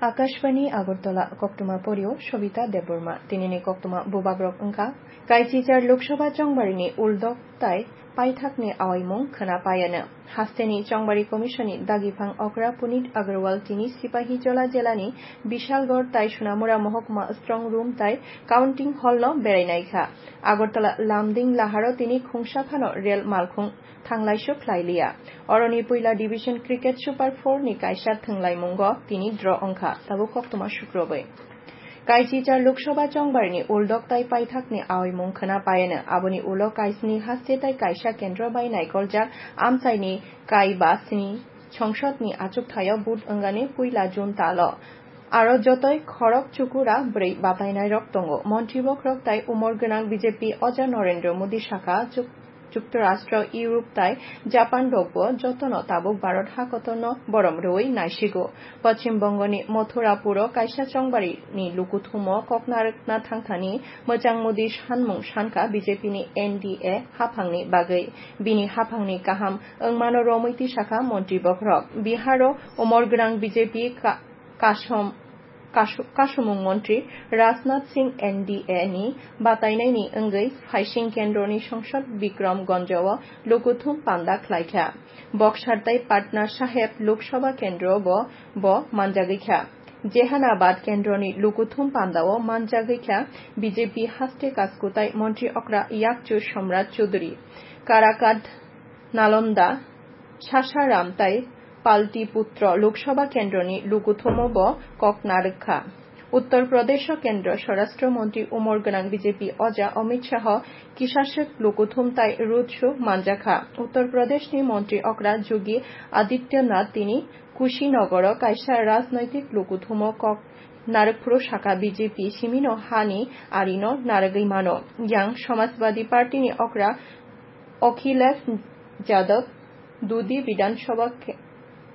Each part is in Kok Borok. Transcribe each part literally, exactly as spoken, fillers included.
Akashbani Agartala, koktwma porio Sobita Debbarma. Tinini koktwma bubagrok wngkha: Kaichichar Lok Sabha chongbarini uldok tai paithakni awaimung khwna paiano. Hasteni Chongbari Commissionni dagiphang okra Punit Agarwal tini Sipahijola jelani Bishalgarh tai Sonamura mohokuma Strong Room tai Counting Hall no berai naikha. Agartala Lumding Laharo tini khungsa phano rel malkhung thanglaisuk khlailiya. Oroni puila Division Cricket Super four ni kaisa thwnglaimungo tini draw wngkha, tabuk koktwma sukrobwi. Kaichichar Lok Sabha chongbarini uldok tai paithakni awaimung khwna paiano. Aboni ulo kaisni haste tai kaisa kendro bai naikoljak amchaini kai ba sni songsodni achukthaio vote wngani puila June talo. Aro jotoi khorok chukura bwrwi batainairok tongo. Montri bokhorok tai umor gwnang B J P Oja Narendra Modi sakha, Juk-, Juktarashtra, Europe tai Japan rokbo jotono tabuk Bharat hakotorno borom rwui naisigo. Poschim Bongoni Mathurapuro kaisa chongbarini lukuthumo kok narwkna thangthani mwchang Modi sanmung sankha B J P ni N D A haphangni bagwi. Bini haphangni kaham wngmano romwi tisakha montri bokhorok. Biharo umor gwnang B J P ka-, kasom-, kasu-, kasumung montri Rajnath Singh N D A ni batainaini wngwi phaising kendroni songsod Bikram Gonjo o lukuthum panda khlaikha. Boksar tai Patna Saheb Lok Sabha kendro bo, bo manjagwi kha. Jehanabad kendroni lukuthum pandao manjagwi kha B J P haste kaskutai montri okra Yakchu Somrat Chuduri. Karakat, Nalanda, Sasaram tai Paltiputro Lok Sabha kendroni lukuthumo bo kok narwkha. Uttar Pradesh o kendro Swarashtra Montri umor gwnang B J P Oja Amit Shah kisaswk lukuthum tai road show manjakha. Uttar Pradesh ni montri okra Yogi Adityanath tini Kushinagar o kaisa rajnoitik lukuthumo kok narwkphuru sakha B J P simino hani arino narwgwi mano. Yang Samajwadi Party ni okra Akhilesh Yadav Dudi Bidhan Sabha ke-,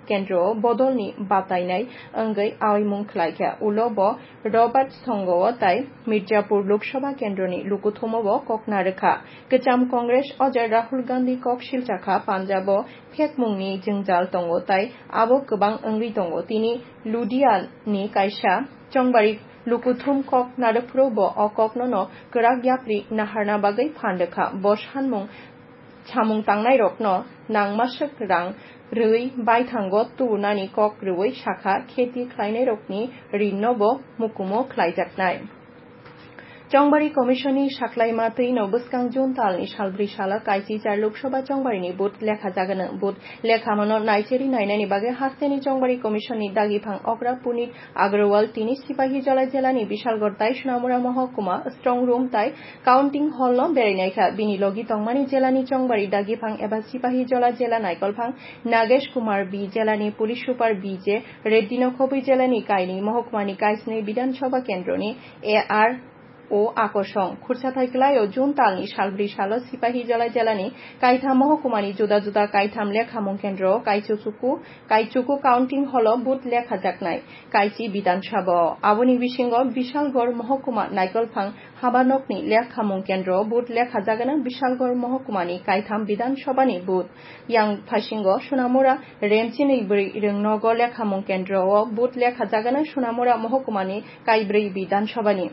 kendro o bodolni batainai wngwi awaimung khlaikha. Ulo bo Robert Songo o tai Mirzapur Lok Sabha kendroni lukuthumo bo kok narwkha. Kwcham Congress Oja Rahul Gandhi kok silchakha Punjab o phekmungni jwngjal tongo tai abo kwbang wngwi tongo. Tini Ludiya ni kaisa chongbari lukuthum kok narwkphuru bo o kokno no kwrak yapri naharna bagwi phan rwkha. Bo sanmung samung tangnairokno nangmaswk rang rwui baithango tubunani kok rwui sakha, kheti khlainairokni rinno bo mukumo khlaijaknai. Chongbari Commission ni saklaima twi no bwskang June talni salbrwi salo Kaichichar Lok Sabha chongbarini vote lekha jagano. Vote lekhamano naicheri nainani bagwi hasteni Chongbari Commission ni dagiphang okra Punit Agrawal tini Sipahijola jelani Bishalgarh tai Sonamura mohokuma Strong Room tai Counting Hall no berai naikha. Bini logi tongmani jelani chongbari dagiphang eba Sipahijola jela naikolphang Nagesh Kumar B, jelani Police Super B J Reddy no khobwi jelani kainwi mohokumani kaisnwi Bidhan Sabha kendroni A R O Akosong. Khursa thai kwlaio June talni salbrwi salo Sipahijola jelani kaitham mohokumani juda juda kaitham lekhamung kendro o kaichuku, kaichuku Counting Hall o vote lekhajaknai kaichi Bidhan Sabha o. Aboni bisingo Bishalgarh mohokuma naikolphang habanokni lekhamung kendro o vote lekhajagana Bishalgarh mohokumani kaitham Bidhan Sabha ni vote. Yang phasingo Sonamura Remchini bwrwi rwngnogo lekhamung kendro o vote lekhajagana Sonamura mohokumani kaibrwi Bidhan Sabha ni.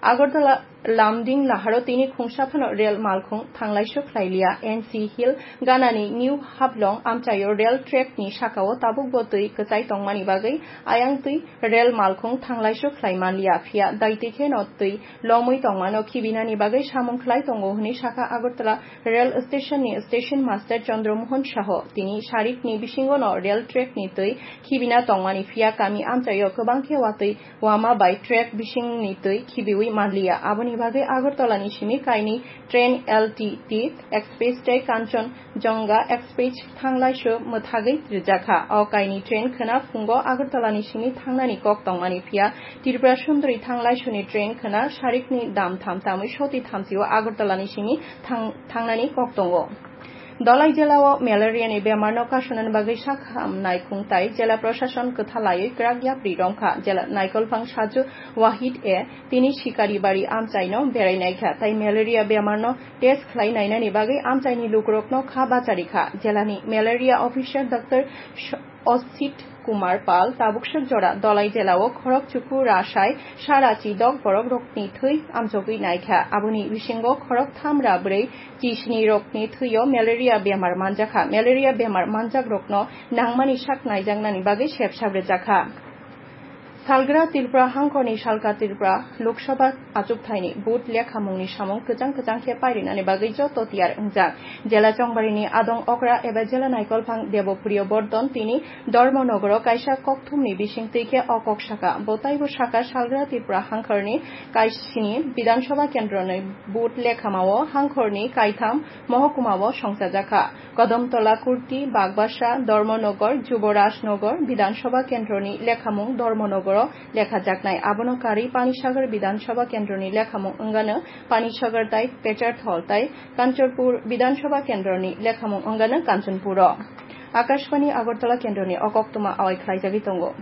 Agartala Lumding Laharo tini khungsa phano rel malkhung thanglaisuk khlailiya. N C Hill ganani New Haflong amchaio rel track ni sakao tabukbo twi kwchai tongmani bagwi ayang twi rel malkhung thanglaisuk khlai manliya, phiya daitwi kheno twi lomwi tongmano khibinani bagwi samung khlai tongo hwnwi sakha Agartala Rail Station ni Station Master Chandra Mohan Saho. Tini sarikni bisingo no rail track ni twi khibina tongmani, phiya kami amchaio kwbang khe watwi wama bai track bisingni twi khibiwi manliya. Aboni bagwi Agartala ni simi kainwi train L T T Express tei Kanchanjunga Express thanglaisu mwthagwi rwjakha. O kainwi train khwna phungo Agartala ni simi thangnani kok tongmani, phiya Tripura Sundari thanglaisuni train khwna sarikni dam tham tamwi soti thamsio Agartala ni simi thang-, thangnani kok tongo. Dhalai jela o malaria ni bemar no kasunani bagwi sak hamnai khungtai jela prosason kwthalaiwi kwrak yapri romkha. Jela naikolphang Saju Wahid e tini Sikaribari amchai no berai naikha, tai malaria bemar no test khlai nainani bagwi amchai ni lukurok no kha bachari kha. Jela ni malaria officer Doctor Sh-, Osit Kumar Pal tabuk swk jora Dhalai jela o khorok chuku rasai sara chi dok borok rokni thwi amjogwi naikha. Aboni bisingo khorok tham ra bwrwi chi sni rokni thwi o malaria bemar manjakha. Malaria bemar manjak rokno nangmani sak naijaknani bagwi sep sap rwjakha. Salgra Tripura hangkhorni Salka Tripura Lok Sabha achukthai ni vote lekha mung ni samung kwchang kwchang khe pairinani bagwi joto tiyar wngjak. Jela Chongbarini adong okra eba jela naikolphang Debopriyo Bordon tini Dharmanagar o kaisa kokthum ni bising twi khe o kok saka. Bo taibo saka Salgra Tripura hangkhorni kaisini Bidhan Sabha kendro ni vote lekhamao hangkhorni kaitham mohokumao songchajakha. Kadomtola, Kurti, Bagbasa, Dharmanagar, Juboraj Nagar Bidhan Sabha kendro ni lekhamung Dharmanagar o lekhajaknai. Abono karwi Panisagar Bidhan Sabha kendro ni lekhamung wngano Panisagar tai Pecharthal tai Kanchanpur Bidhan Sabha kendro ni lekhamung wngano Kanchanpur o. Akashbani Agartala kendro ni o koktwma awai khlaijagwi tongo.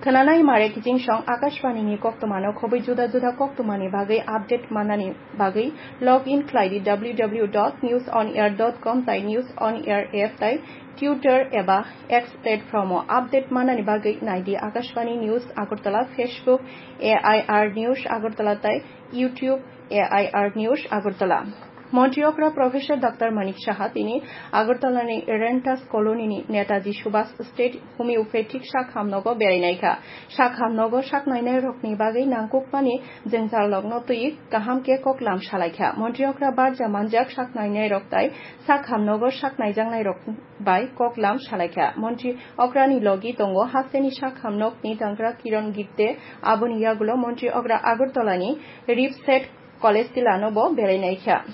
Khwnanai mare kiching song Akashbani ni koktwma no khobwi juda juda koktwma ni bagwi update manani bagwi log in khlai di w w w dot news on air dot com tai News on Air app tai Twitter eba X platform o update manani bagwi nai di Akashbani News Agartala, Facebook A I R News Agartala tai YouTube A I R News Agartala. Montri okra Professor Doctor Manik Saha tini Agartala ni Rentas Colony ni Netaji Subhas State Homeopathic Sak Hamnogo berai naikha. Sak Hamnogo sak nainai rokni bagwi nangkukmani jengjalrokno twi kaham khe koklam salaikha. Montri okra barja manjak sak nainai rok tai sak hamnogo sak naijaknai rok bai koklam salaikha. Montri okrani logi tongo hasteni sak hamnokni tangra Kiron Gipte. Aboni yagulo montri okra Agartala ni Ripset College tilano bo berai naikha.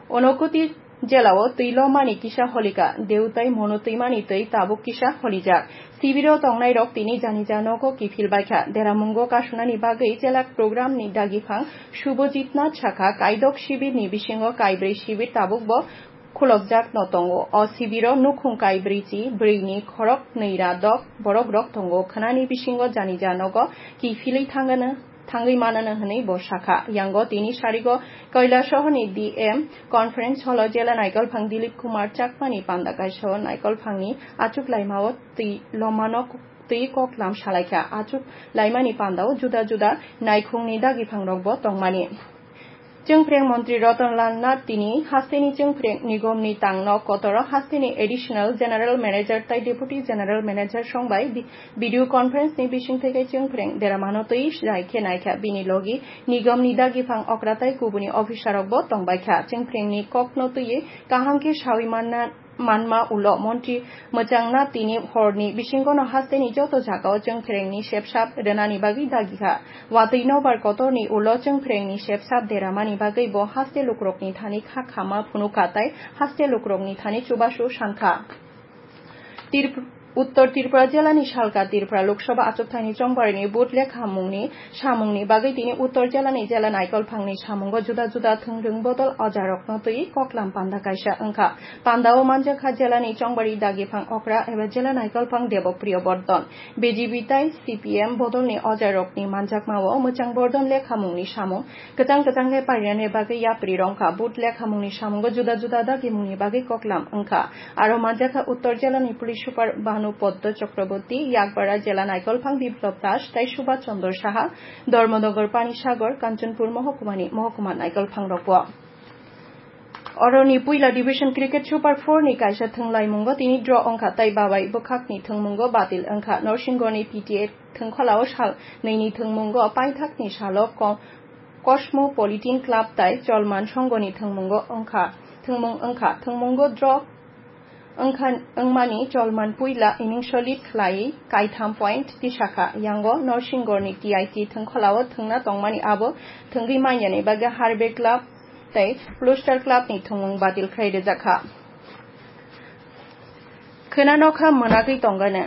Onokuti jela o twi lomani kisa holika, deutai mono twimani twi tabuk kisa holijak. Sibiro tongnai rok tini janija nogo kiphil baikha. Deramungo kasunani bagwi jela program ni dagiphang Subhajit Nath sakha, kaidok sibir ni bisingo kaibrwi sibir tabuk bo khulokjak no tongo. O sibiro nukhung kaibrwi chi brwi ni khorok nwi ra dok borok rok tongo. Khwnani bisingo janija nogo kiphilwi thangano thangwi manano hwnwi bo sakha. Yango tini sarigo Kailasahar ni D M Conference Hall o jela naikolphang Dilip Kumar Chakma ni panda kaisa o naikolphang ni achuk laima o twi lomano twi koklam salaikha. Achuk laimani panda o juda juda naikhung ni dagiphang rok bo tongmani. Chwngphreng montri Ratan Lal Nath tini hasteni chwngphreng nigom ni tang nok kotor o hasteni additional general manager tai deputy general manager song bai bi-, video conference ni bising theke chwngphreng deramano twi jai khe naikha. Bini logi nigom ni dagiphang okra tai kubuni officer rok bo tongbaikha. Chwngphreng ni kok no twi kaham khe sawi manna manma ulo montri mwchangna tini horni bisingono hasteni joto jagao chwngphrengni sepsap rwnani bagwi dagikha. Watwi nobar kotorni ulo chwngphrengni sepsap deramani bagwi bo haste lukurokni thani kha khama phunukha tai haste lukurokni thani chubachu sankha. Tirp-, Uttor Tripura jelani Salka Tripura Lok Sabha achukthani chongbarini vote lekhamungni samungni bagwi tini Uttor jelani jela naikolphangni samungo juda juda thwngrwng bodol ojarokno twi koklam panda kaisa wngkha. Pandao manjakha jelani chongbari dagiphang okra eba jela naikolphang Debopriyo Bordon. B J P tai C P M bodolni ojarokni manjakmao mwchang Bordon lekhamungni samung kwchang kwchang khe parinani bagwi yapri rongkha. Vote lekhamungni samungo juda juda dagimungni bagwi koklam wngkha. Aro manjakha Uttor jelani police super Bhanu Poddo Chakraborty, Yakbara jela naikolphang Biplab Das tai Subhas Chandra Saha, Dharmanagar, Panisagar, Kanchanpur mohokumani mohokuma naikolphang rokbo. Oroni puila division cricket super four ni kaisa thwnglaimungo tini draw wngkha tai babai bwkhakni thwngmungo batil wngkha. Norsingorni P T A thwngkholao sal nini thwngmungo paithakni salo ko-, Cosmopolitan Club tai Cholman Songoni thwngmungo wngkha, thwngmung wngkha. Thwngmungo draw wngkha, wngmani Cholman puila innings o lead khlaiwi kaitham point tisakha. Yango Norsingorni T I C thwngkholao thwngna tongmani abo thwngwi manyani bagwi Harvey Club tei Blue Star Club ni thwngmung batil khlai rwjakha. Khwna nokha mwnagwi tongano.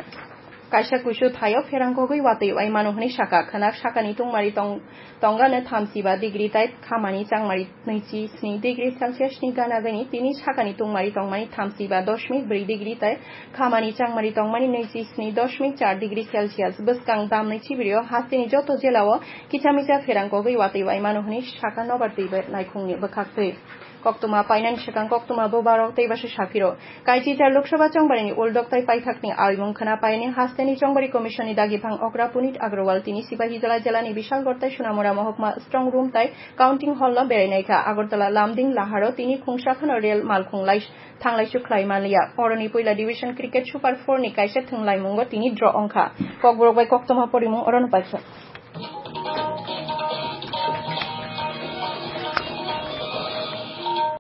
Kaisa kuisu thaio pherang kogwi watwi waimano hwnwi sakha. Khwna sakani tungmari tong-, tongano thamsiba degree tai khamani changmari nwichi sni degree Celsius ni gana gani. Tini sakani tungmari tongmani thamsiba dosmik bwrwi degree tai khamani changmari tongmani nwichi sni dosmik char degree Celsius. Bwskang damni chibirio hasteni joto jelao kicha micha pherang kogwi watwi waimano hwnwi sakha nobar twi bai naikhungni bwkhaktwi. Koktwma painani swkang koktwma bubagrok tei bwsai saphiro. Kaichijar Lok Sabha chongbarini uldok tei paithakni aimung khwna painani hasteni chongbari commissionni dagi phang okra Punit Agrawal tini Sipahijala jelani Bishalgarh tei Sonamura mohokma strong room tei counting hall no berai naikha. Agartala Lumding Laharo tini khungsa phano rel malkhung lai thanglaisu khlai manliya. Oroni puila division cricket Super four ni kaisa thwnglaimungo tini draw ongkha. Kokborok bai koktwma porimung orono paikha.